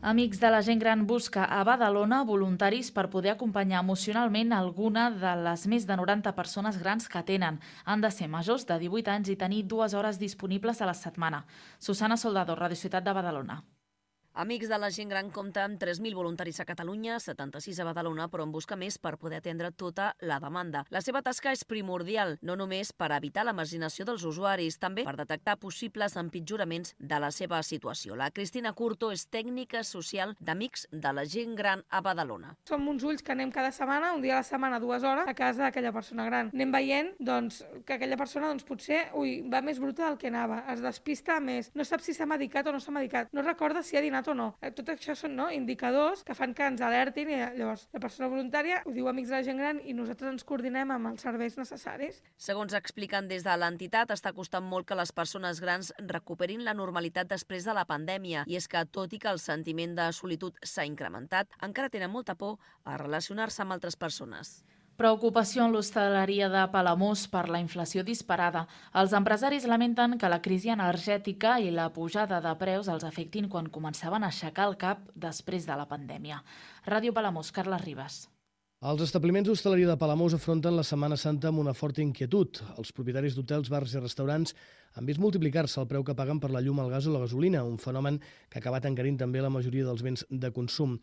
Amics de la gent gran busca a Badalona voluntaris per poder acompanyar emocionalment alguna de les més de 90 persones grans que tenen. Han de ser majors de 18 anys i tenir 2 hores disponibles a la setmana. Susana Soldado, Radio Ciutat de Badalona. Amics de la gent gran compta amb 3.000 voluntaris a Catalunya, 76 a Badalona, però en busca més per poder atendre tota la demanda. La seva tasca és primordial, no només per evitar la marginació dels usuaris, també per detectar possibles empitjoraments de la seva situació. La Cristina Curto és tècnica social d'Amics de la gent gran a Badalona. Som uns ulls que anem cada setmana, un dia a la setmana, 2 hores, a casa d'aquella persona gran. Anem veient que aquella persona potser va més bruta del que anava, es despista més, no sap si s'ha medicat o no s'ha medicat, no recorda si ha dinat o no. Tot això són indicadors que fan que ens alertin i llavors la persona voluntària ho diu Amics de la gent gran i nosaltres ens coordinem amb els serveis necessaris. Segons expliquen des de l'entitat, està costant molt que les persones grans recuperin la normalitat després de la pandèmia i és que, tot i que el sentiment de solitud s'ha incrementat, encara tenen molta por a relacionar-se amb altres persones. Preocupació en l'hostaleria de Palamós per la inflació disparada. Els empresaris lamenten que la crisi energètica i la pujada de preus els afectin quan començaven a aixecar el cap després de la pandèmia. Ràdio Palamós, Carles Ribas. Els establiments d'hostaleria de Palamós afronten la Setmana Santa amb una forta inquietud. Els propietaris d'hotels, bars i restaurants han vist multiplicar-se el preu que paguen per la llum, el gas o la gasolina, un fenomen que ha acabat encarint també la majoria dels béns de consum.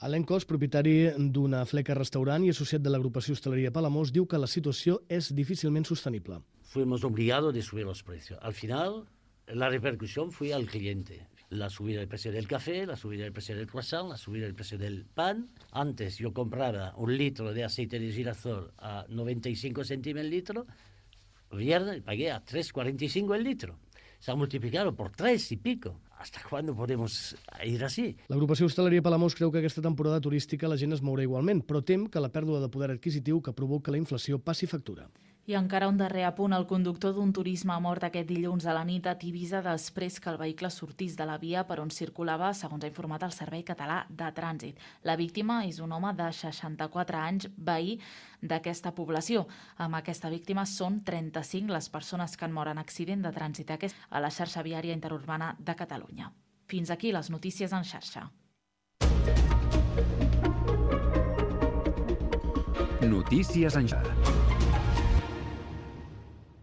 Alain Cos, propietari d'una fleca restaurant i associat de l'agrupació Hostalería Palamós, diu que la situació és difícilment sostenible. Fuimos obligados de subir los precios. Al final, la repercusión fue al cliente. La subida del precio del café, la subida del precio del croissant, la subida del precio del pan. Antes yo compraba 1 litro de aceite de girasol a 95 céntimos el litro, viernes pagué a 3,45 el litro. Se ha multiplicado por 3 y pico. ¿Hasta cuándo podemos ir así? L'agrupació Hostaleria Palamós creu que aquesta temporada turística la gent es mourà igualment, però tem que la pèrdua de poder adquisitiu que provoca la inflació passi factura. I encara un darrer apunt. El conductor d'un turisme ha mort aquest dilluns a la nit a Tivisa després que el vehicle sortís de la via per on circulava, segons ha informat el Servei Català de Trànsit. La víctima és un home de 64 anys, veí d'aquesta població. Amb aquesta víctima són 35 les persones que han mort en accident de trànsit a la xarxa viària interurbana de Catalunya. Fins aquí les notícies en xarxa. Notícies en xarxa.